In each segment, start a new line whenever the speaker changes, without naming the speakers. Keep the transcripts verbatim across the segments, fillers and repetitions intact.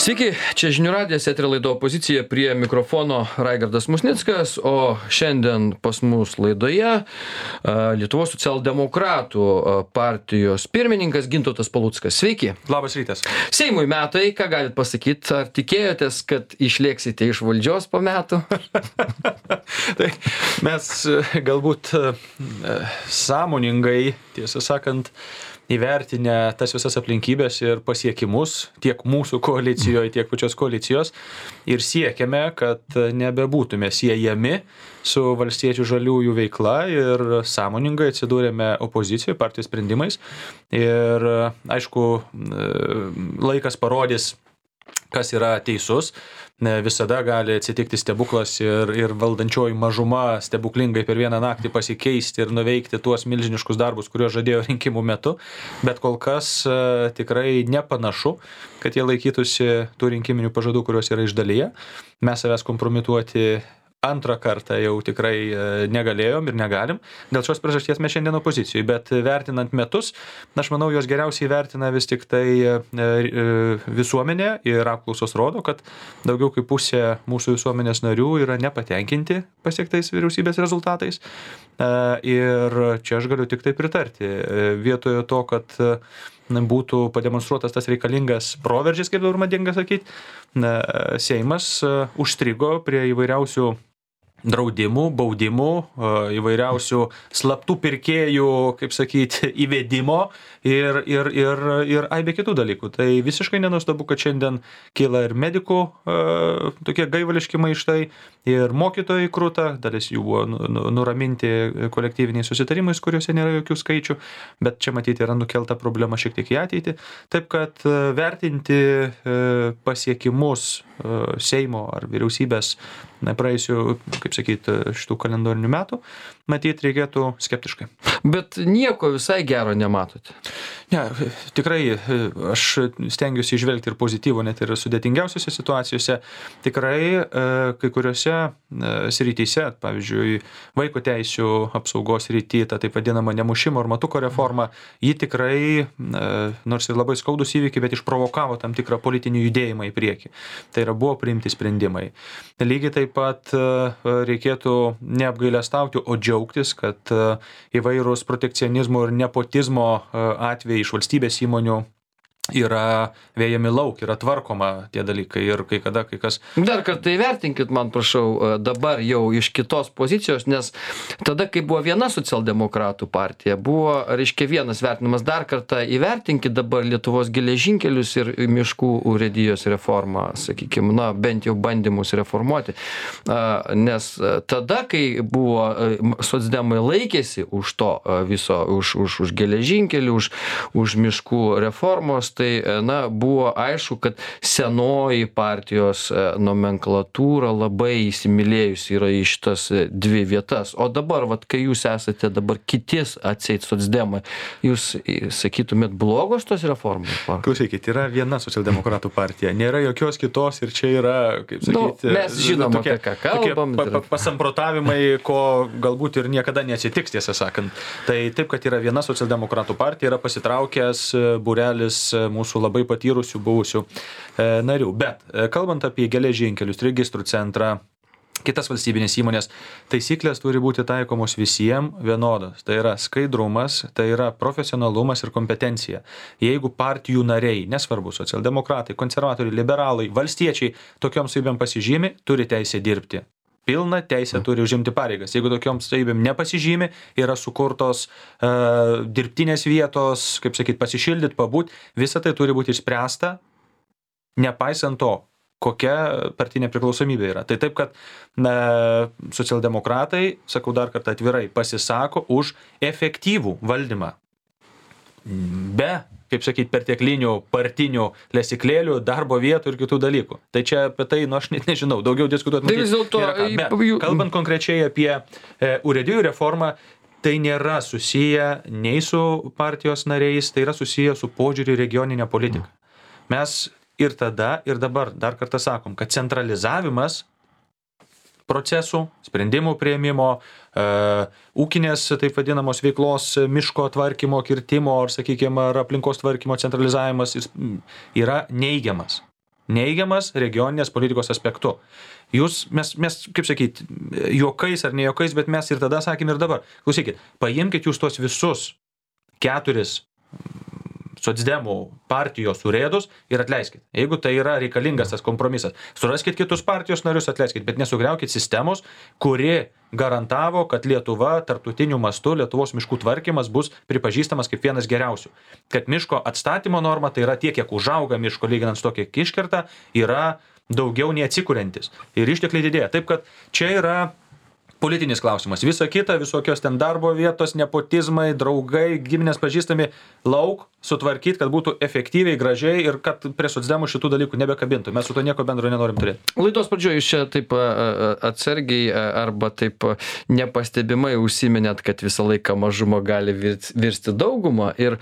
Sveiki, čia žinių radijas, eterio laido Opozicija, prie mikrofono Raigardas Musnickas, o šiandien pas mus laidoje a, Lietuvos socialdemokratų a, partijos pirmininkas Gintautas Paluckas. Sveiki.
Labas rytas.
Seimui metai, ką galit pasakyti, ar tikėjotės, kad išlėksite iš valdžios po metų?
Tai mes galbūt sąmoningai, tiesą sakant, įvertinę tas visas aplinkybės ir pasiekimus tiek mūsų koalicijoje, tiek pačios koalicijos ir siekiame, kad nebebūtume siejami su valstiečių žaliųjų veikla ir sąmoningai atsidūrėme opozicijoje partijos sprendimais. Ir aišku, laikas parodys, kas yra teisus. Visada gali atsitikti stebuklas ir, ir valdančioji mažuma stebuklingai per vieną naktį pasikeisti ir nuveikti tuos milžiniškus darbus, kuriuos žadėjo rinkimų metu, bet kol kas uh, tikrai nepanašu, kad jie laikytųsi tų rinkiminių pažadų, kuriuos yra išdalyje. Mes savęs kompromituoti antrą kartą jau tikrai negalėjom ir negalim. Dėl šios priežasties mes šiandien opozicijoje, bet vertinant metus, aš manau, jos geriausiai vertina vis tik tai visuomenė ir apklausos rodo, kad daugiau kaip pusė mūsų visuomenės narių yra nepatenkinti pasiektais vyriausybės rezultatais. Ir čia aš galiu tik tai pritarti. Vietoje to, kad būtų pademonstruotas tas reikalingas proveržis, kaip dabar madinga sakyti, Seimas užstrigo prie įvairiausių draudimų, baudimų, įvairiausių slaptų pirkėjų, kaip sakyti, įvedimo ir, ir, ir, ir aibė kitų dalykų. Tai visiškai nenuostabu, kad šiandien kyla ir medikų tokie gaivališki maištai, ir mokytojai kruta, dalis jų buvo nuraminti kolektyviniais susitarimais, kuriuose nėra jokių skaičių, bet čia matyti yra nukelta problema šiek tiek į ateitį. Taip kad vertinti pasiekimus Seimo ar vyriausybės praėjusių, kaip sakyti, šitų kalendorinių metų, matyti reikėtų skeptiškai.
Bet nieko visai gero nematote.
Ne, tikrai aš stengiuosi įžvelgti ir pozityvų, net ir sudėtingiausiose situacijose. Tikrai kai kuriuose srityse, pavyzdžiui, vaiko teisių apsaugos srity, ta taip vadinama nemušimo ar matuko reforma, ji tikrai, nors ir labai skaudus įvykiai, bet išprovokavo tam tikrą politinį judėjimą į priekį. Tai yra buvo priimti sprendimai. Lygiai taip pat reikėtų neapgailestauti, o džiaugtis, kad įvairūs protekcionizmo ir nepotizmo atvejai iš valstybės įmonių yra vėjami lauk, yra tvarkoma tie dalykai ir kai kada kai kas...
Dar kartą įvertinkit, man prašau, dabar jau iš kitos pozicijos, nes tada, kai buvo viena socialdemokratų partija, buvo, reiškia, vienas vertinimas, dar kartą įvertinkit dabar Lietuvos geležinkelius ir miškų urėdijos reformą, sakykime, na, bent jau bandymus reformuoti. Nes tada, kai buvo socdemai laikėsi už to viso, už, už, už geležinkelių, už, už miškų reformos, tai, na, buvo aišku, kad senoji partijos nomenklatūra labai įsimylėjusi yra į šitas dvi vietas. O dabar, vat, kai jūs esate dabar kitis atseit socdemai, jūs sakytumėt blogos tos reformos?
Klausykit, yra viena socialdemokratų partija, nėra jokios kitos ir čia yra, kaip sakyti,
nu, mes žinom, tokie, apie ką kalbam.
Pa, pa, pasamprotavimai, ko galbūt ir niekada neatsitiks, tiesą sakant. Tai taip, kad yra viena socialdemokratų partija, yra pasitraukęs būrelis mūsų labai patyrusių buvusių e, narių. Bet e, kalbant apie geležinkelius, registrų centrą, kitas valstybinės įmonės, taisyklės turi būti taikomos visiems vienodos. Tai yra skaidrumas, tai yra profesionalumas ir kompetencija. Jeigu partijų nariai, nesvarbu, socialdemokratai, konservatoriai, liberalai, valstiečiai, tokiom savybėm pasižymi, turi teisę dirbti. Pilna teisė turi užimti pareigas. Jeigu tokiom savybėm nepasižymi, yra sukurtos uh, dirbtinės vietos, kaip sakyti, pasišildyti, pabūt, visa tai turi būti išspręsta, nepaisant to, kokia partinė priklausomybė yra. Tai taip, kad na, socialdemokratai, sakau dar kartą atvirai, pasisako už efektyvų valdymą. Be, kaip sakyti, perteklinių partinių lesiklėlių, darbo vietų ir kitų dalykų. Tai čia apie tai, nu aš net nežinau, daugiau diskutuoti.
Tai vis dėlto,
kalbant konkrečiai apie e, urėdijų reformą, tai nėra susiję nei su partijos nariais, tai yra susiję su požiūriu regioninę politiką. Mes ir tada, ir dabar dar kartą sakom, kad centralizavimas procesų, sprendimų priėmimo, e, ūkinės, taip vadinamos veiklos, miško tvarkymo, kirtimo, ar, sakykime, ar aplinkos tvarkymo centralizavimas yra neigiamas. neigiamas regioninės politikos aspektu. Jūs, mes, mes, kaip sakyti, juokais ar ne juokais, bet mes ir tada sakėm ir dabar. Klausykit, paimkit jūs tos visus keturis socdemų partijos urėdus ir atleiskit. Jeigu tai yra reikalingas tas kompromisas, suraskit kitus partijos narius, atleiskit, bet nesugriaukit sistemos, kuri garantavo, kad Lietuva tarptautiniu mastu, Lietuvos miškų tvarkymas bus pripažįstamas kaip vienas geriausių. Kad miško atstatymo norma, tai yra tiek, kiek užauga miško lyginant su to, kiek iškerta, yra daugiau nei atsikuriantis. Ir ištekliai didėja. Taip, kad čia yra politinis klausimas. Visa kita, visokios ten darbo vietos, nepotizmai, draugai, giminės pažįstami, lauk, sutvarkyti, kad būtų efektyviai, gražiai ir kad prie socdemų šitų dalykų nebekabintų. Mes su to nieko bendro nenorim turėti.
Laidos pradžioje jūs čia taip atsargiai arba taip nepastebimai užsiminėt, kad visą laiką mažuma gali virsti daugumą. Ir,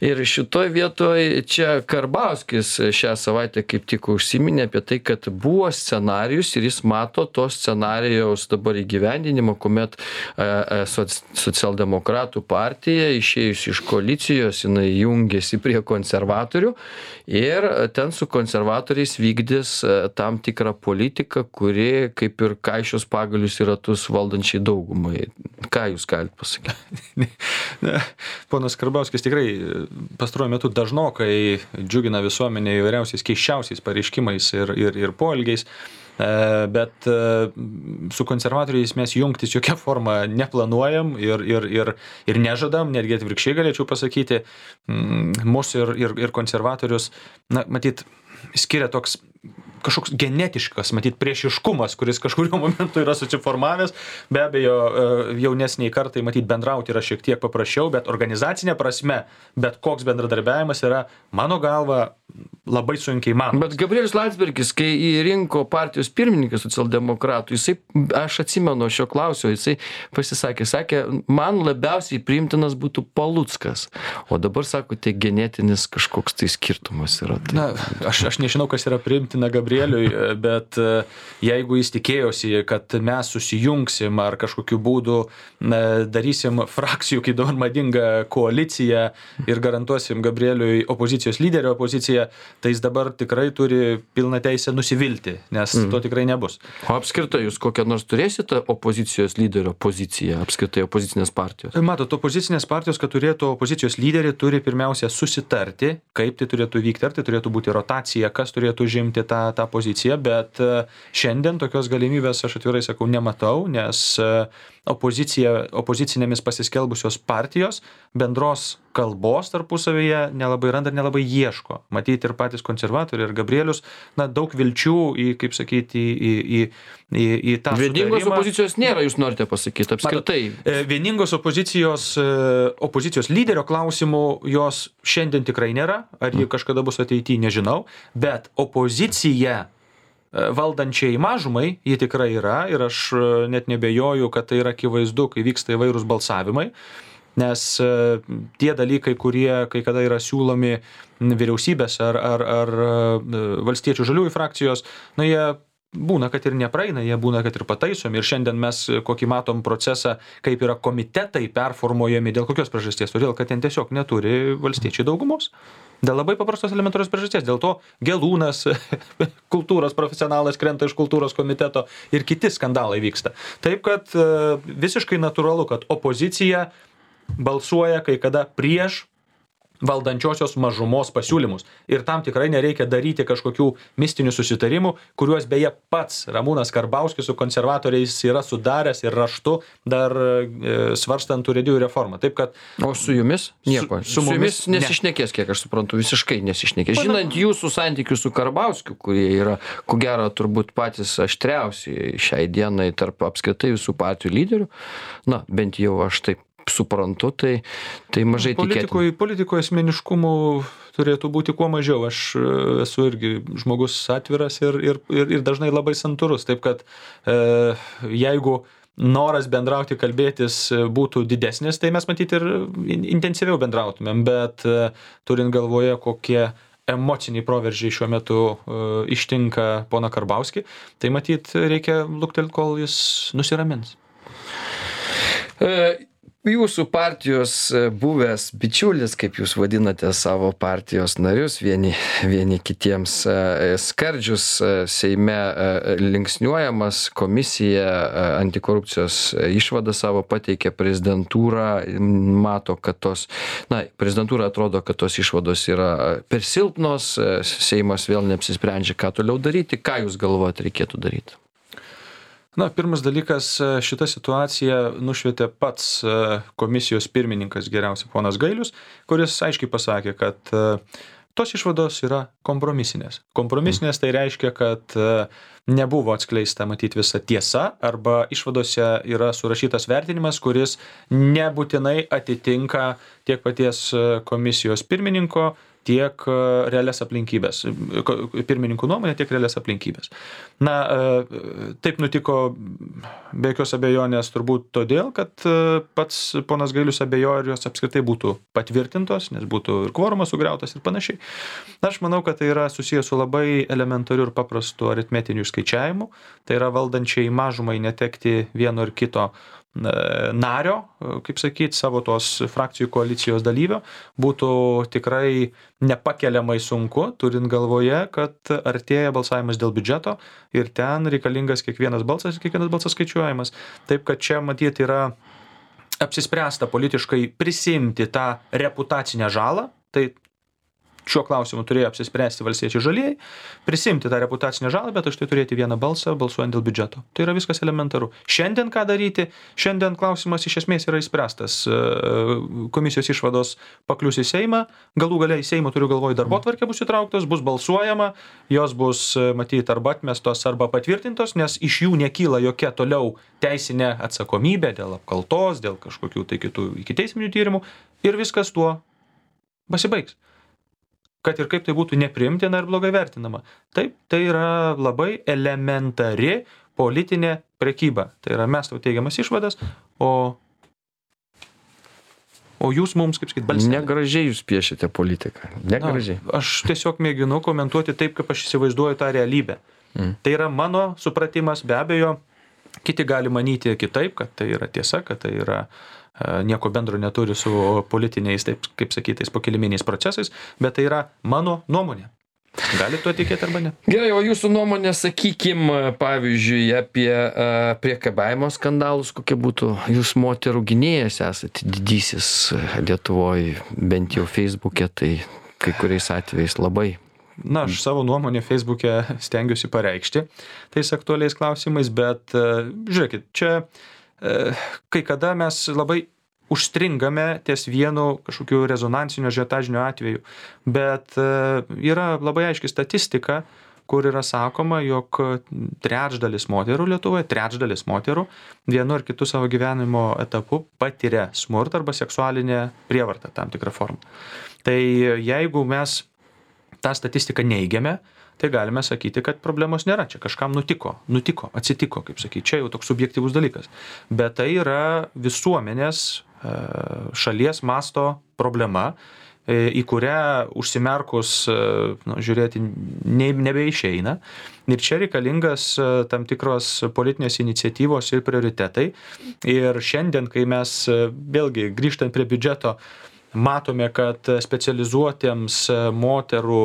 ir šitoj vietoj čia Karbauskis šią savaitę kaip tik užsiminė apie tai, kad buvo scenarijus ir jis mato to scenarijaus dabar įgyvendinimą, kuomet socialdemokratų partija išėjus iš koalicijos, jinai jungiasi prie konservatorių ir ten su konservatoriais vykdys tam tikrą politiką, kuri kaip ir kaišios pagalius į ratus valdančiai daugumai. Ką jūs galite pasakyti?
Ponas Karbauskis tikrai pastaruoju metu dažnokai džiugina visuomenę įvairiausiais keisčiausiais pareiškimais ir, ir, ir poelgiais. Bet su konservatoriais mes jungtis jokia forma neplanuojam ir, ir, ir, ir nežadam, netgi atvirkščiai galėčiau pasakyti, mūsų ir, ir, ir konservatorius, na, matyt, skiria toks kažkoks genetiškas, matyt, priešiškumas, kuris kažkurio momentu yra susiformavęs. Be abejo, jaunesniai kartai, matyt, bendrauti yra šiek tiek paprasčiau, bet organizacinė prasme, bet koks bendradarbiavimas yra, mano galva, labai sunkiai man.
Bet Gabrielius Landsbergis, kai įrinko partijos pirmininką socialdemokratų, jisai, aš atsimenu šio klausio, jisai pasisakė, sakė, man labiausiai priimtinas būtų Paluckas. O dabar, sako, tai genetinis kažkoks tai skirtumas yra. Tai...
Na, aš, aš nežinau, kas yra priimtina Gabrieliui, bet jeigu jis tikėjosi, kad mes susijungsim ar kažkokiu būdu darysim frakcijų, kaip dabar madinga koalicija ir garantuosim Gabrieliui opozicijos lyderio opoziciją, tai jis dabar tikrai turi pilną teisę nusivilti, nes mm. to tikrai nebus.
O apskritai, jūs kokią nors turėsite opozicijos lyderio poziciją, apskritai opozicinės partijos?
Matot, opozicinės partijos, kad turėtų opozicijos lyderį, turi pirmiausia susitarti, kaip tai turėtų vykti, ar tai turėtų būti rotacija, kas turėtų žimti tą, tą poziciją, bet šiandien tokios galimybės, aš atvirai sakau, nematau, nes opozicija, opozicinėmis pasiskelbusios partijos bendros kalbos tarpusavyje nelabai randa ir nelabai ieško. Matyti ir patys konservatoriai ir Gabrielius, na, daug vilčių į, kaip sakyti, į, į, į, į tą
vieningos
sutarimą.
Opozicijos nėra, jūs norite pasakyti, apskritai.
Matot, vieningos opozicijos, opozicijos lyderio klausimų jos šiandien tikrai nėra, ar ji kažkada bus ateityje, nežinau, bet opozicija valdančiai mažumai, ji tikrai yra ir aš net nebejoju, kad tai yra akivaizdu, kai vyksta įvairūs balsavimai, nes tie dalykai, kurie kai kada yra siūlomi vyriausybės ar, ar, ar valstiečių žaliųjų frakcijos, na, jie būna, kad ir nepraeina, jie būna, kad ir pataisomi. Ir šiandien mes kokį matom procesą, kaip yra komitetai performuojami, dėl kokios priežasties, todėl, kad ten tiesiog neturi valstiečiai daugumos. Dėl labai paprastos elementarios priežasties. Dėl to Gelūnas, kultūros profesionalas, krenta iš kultūros komiteto ir kiti skandalai vyksta. Taip, kad visiškai natūralu, kad opozicija balsuoja kai kada prieš valdančiosios mažumos pasiūlymus. Ir tam tikrai nereikia daryti kažkokių mistinių susitarimų, kuriuos beje pats Ramūnas Karbauskis su konservatoriais yra sudaręs ir raštu dar e, svarstant urėdijų reformą. Taip, kad...
O su jumis? Nieko. Su, su, su jumis nesišnekės, kiek aš suprantu, visiškai nesišnekės. Žinant jūsų santykius su Karbauskiu, kurie yra, ko gero, turbūt patys aštriausi šiai dienai tarp apskritai visų partijų lyderių, na, bent jau aš taip suprantu, tai, tai mažai tikėtina.
Politikoje asmeniškumų turėtų būti kuo mažiau. Aš esu irgi žmogus atviras ir, ir, ir, ir dažnai labai santūrus. Taip kad e, jeigu noras bendrauti, kalbėtis būtų didesnis, tai mes matyti ir intensyviau bendrautumėm, bet e, turint galvoje, kokie emociniai proveržiai šiuo metu e, ištinka poną Karbauskį, tai matyt reikia luktelti, kol jis nusiramins.
E, jūsų partijos buvęs bičiulis, kaip jūs vadinate savo partijos narius, vieni, vieni kitiems skardžius Seime linksniuojamas, komisija antikorupcijos išvadą savo pateikė, prezidentūra mato, kad tos, na, prezidentūra atrodo, kad tos išvados yra per silpnos, Seimas vėl neapsisprendžia, ką toliau daryti, ką jūs galvojate reikėtų daryti?
Na, pirmas dalykas, šitą situaciją nušvietė pats komisijos pirmininkas geriausiai ponas Gailius, kuris aiškiai pasakė, kad tos išvados yra kompromisinės. Kompromisinės tai reiškia, kad nebuvo atskleista matyti visa tiesa arba išvadose yra surašytas vertinimas, kuris nebūtinai atitinka tiek paties komisijos pirmininko, tiek realias aplinkybės, pirmininkų nuomonė, tiek realias aplinkybės. Na, taip nutiko be jokios abejonės turbūt todėl, kad pats ponas Gailius abejojo, ar jos apskritai būtų patvirtintos, nes būtų ir kvorumas sugriautas ir panašiai. Aš manau, kad tai yra susijęs su labai elementariu ir paprastu aritmetiniu skaičiavimu. Tai yra valdančiai mažumai netekti vieno ir kito nario, kaip sakyti, savo tos frakcijų koalicijos dalyvio, būtų tikrai nepakeliamai sunku, turint galvoje, kad artėja balsavimas dėl biudžeto ir ten reikalingas kiekvienas balsas ir kiekvienas balsas skaičiuojamas. Taip, kad čia matyti yra apsispręsta politiškai prisimti tą reputacinę žalą, tai šiuo klausimu turėjo apsispręsti valstiečiai žalieji, prisimti tą reputacinę žalą, bet už tai turėti vieną balsą balsuojant dėl biudžeto. Tai yra viskas elementaru. Šiandien ką daryti? Šiandien klausimas iš esmės yra išspręstas. Komisijos išvados paklius į Seimą, galų galiai Seimo turiu galvoj darbotvarkė bus įtrauktos, bus balsuojama, jos bus matyti arba atmestos arba patvirtintos, nes iš jų nekyla jokia toliau teisinė atsakomybė dėl apkaltos, dėl kažkokių tai kitų ikiteisminių tyrimų ir viskas tuo pasibaigs. Kad ir kaip tai būtų nepriimtina ir blogai vertinama. Taip, tai yra labai elementari politinė prekyba. Tai yra mes tau teigiamas išvadas, o, o jūs mums, kaip sakyt, balsnelė.
Negražiai jūs piešite politiką. Negražiai.
Na, aš tiesiog mėginu komentuoti taip, kaip aš įsivaizduoju tą realybę. Mm. Tai yra mano supratimas, be abejo, kiti gali manyti kitaip, kad tai yra tiesa, kad tai yra nieko bendro neturi su politiniais, taip kaip sakytais, pokiliminiais procesais, bet tai yra mano nuomonė. Gali tuo tikėti arba ne?
Gerai, o jūsų nuomonė, sakykim, pavyzdžiui, apie priekabiavimo skandalus, kokie būtų, jūs moterų gynėjas esate didysis Lietuvoje, bent jau Facebook'e, tai kai kuriais atvejais labai.
Na, aš savo nuomonę Facebook'e stengiuosi pareikšti tais aktualiais klausimais, bet žiūrėkit, čia kai kada mes labai užstringame ties vienu kažkokiu rezonansinio žiotažinio atveju, bet yra labai aiški statistika, kur yra sakoma, jog trečdalis moterų Lietuvoje, trečdalis moterų vienu ar kitu savo gyvenimo etapu patiria smurtą arba seksualinę prievartą tam tikrą formą. Tai jeigu mes tą statistiką neigiame, tai galime sakyti, kad problemos nėra. Čia kažkam nutiko, nutiko, atsitiko, kaip sakyti. Čia jau toks subjektyvus dalykas. Bet tai yra visuomenės šalies masto problema, į kurią užsimerkus, nu, žiūrėti ne, nebeišeina. Ir čia reikalingas tam tikros politinės iniciatyvos ir prioritetai. Ir šiandien, kai mes vėlgi grįžtant prie biudžeto, matome, kad specializuotiems moterų,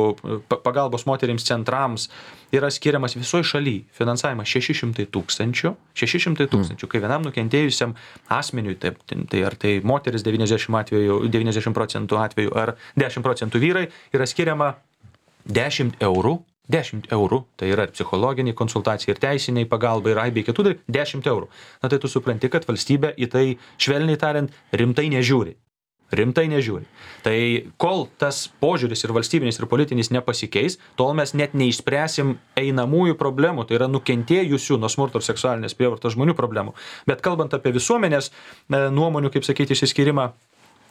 pagalbos moterims centrams yra skiriamas visoje šalyje finansavimas šeši šimtai tūkstančių, šeši šimtai tūkstančių, kai vienam nukentėjusiam asmeniui, tai, tai ar tai moteris devyniasdešimt atvejų, devyniasdešimt procentų atvejų ar dešimt procentų vyrai, yra skiriama dešimt eurų, dešimt eurų, tai yra psichologiniai konsultacijai ir teisiniai pagalbai ir aibė kitų dalykų, dešimt eurų. Na tai tu supranti, kad valstybė į tai, švelniai tariant, rimtai nežiūri. Rimtai nežiūri. Tai kol tas požiūris ir valstybinis ir politinis nepasikeis, tol mes net neišspręsim einamųjų problemų, tai yra nukentėjusių nuo smurto ir seksualinės prievartos žmonių problemų. Bet kalbant apie visuomenės nuomonių, kaip sakyti, išsiskyrimą,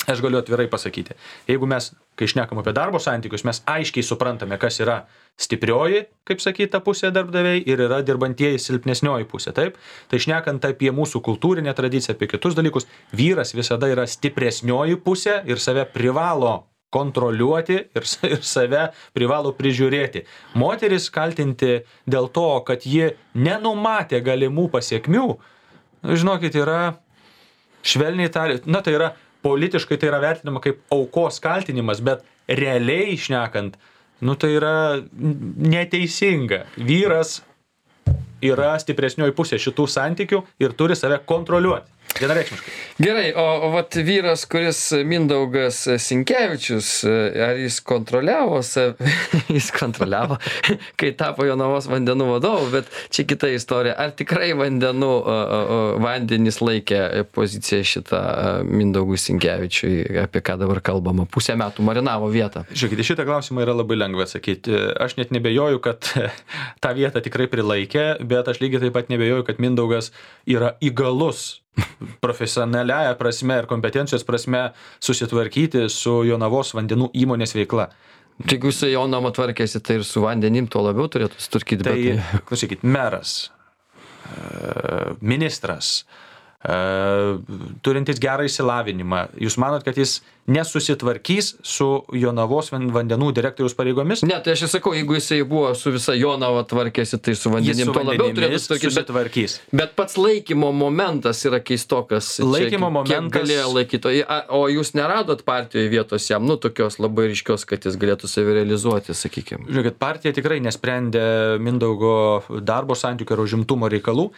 aš galiu atvirai pasakyti. Jeigu mes, kai šnekam apie darbo santykius, mes aiškiai suprantame, kas yra stiprioji, kaip sakyta, pusė darbdaviai ir yra dirbantieji silpnesnioji pusė, taip? Tai šnekant apie mūsų kultūrinę tradiciją, apie kitus dalykus, vyras visada yra stipresnioji pusė ir save privalo kontroliuoti ir, ir save privalo prižiūrėti. Moteris kaltinti dėl to, kad ji nenumatė galimų pasiekmių, žinokit, yra Švelniai tariant, na tai yra politiškai tai yra vertinama kaip aukos kaltinimas, bet realiai šnekant, nu tai yra neteisinga. Vyras yra stipresnioji pusė šitų santykių ir turi save kontroliuoti. Vienareikšmiškai.
Gerai, o, o vat vyras, kuris Mindaugas Sinkevičius, ar jis kontroliavo save, jis kontroliavo, kai tapo Jonavos vandenų vadovu, bet čia kita istorija. Ar tikrai vandenų, vandenys laikė poziciją šitą Mindaugui Sinkevičiui, apie ką dabar kalbama, pusę metų marinavo vietą?
Žiūrėkite, šitą klausimą yra labai lengva atsakyti. Aš net nebejoju, kad tą vietą tikrai prilaikė, bet aš lygiai taip pat nebejoju, kad Mindaugas yra įgalus profesionaliaja prasme ir kompetencijos prasme susitvarkyti su Jonavos vandenų įmonės veikla.
Tai jeigu su Jonava tvarkėsi, tai ir su vandenim tuo labiau turėtų sutvarkyti.
Tai,
bet...
klausykit, meras, ministras, turintis gerą išsilavinimą, jūs manot, kad jis nesusitvarkys su Jonavos vandenų direktoriaus pareigomis?
Ne, tai aš ir sakau, jeigu jisai buvo su visa Jonava tvarkėsi, tai su vandenim tuo labiau turėtų
susitvarkyti.
Bet, bet pats laikymo momentas yra keistokas.
Laikymo
čia,
momentas.
Galėjo laikyti. O jūs neradot partijoje vietos jam, nu, tokios labai ryškios, kad jis galėtų save realizuoti, sakykime.
Žiūrėkit, partija tikrai nesprendė Mindaugo darbo santykių ir užimtumo reikalų.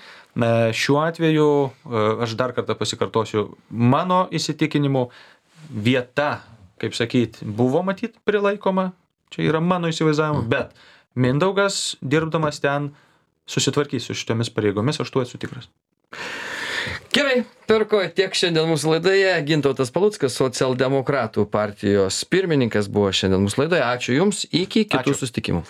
Šiuo atveju, aš dar kartą pasikartosiu, mano įsitikinimu, vieta, kaip sakyt, buvo matyt prilaikoma, čia yra mano įsivaizdavimu, bet Mindaugas, dirbdamas ten, susitvarkys su šitomis pareigomis, aš tuo esu tikras.
Gerai, perko tiek šiandien mūsų laidoje. Gintautas Paluckas, socialdemokratų partijos pirmininkas, buvo šiandien mūsų laidoje. Ačiū Jums, iki kitų
Ačiū.
susitikimų.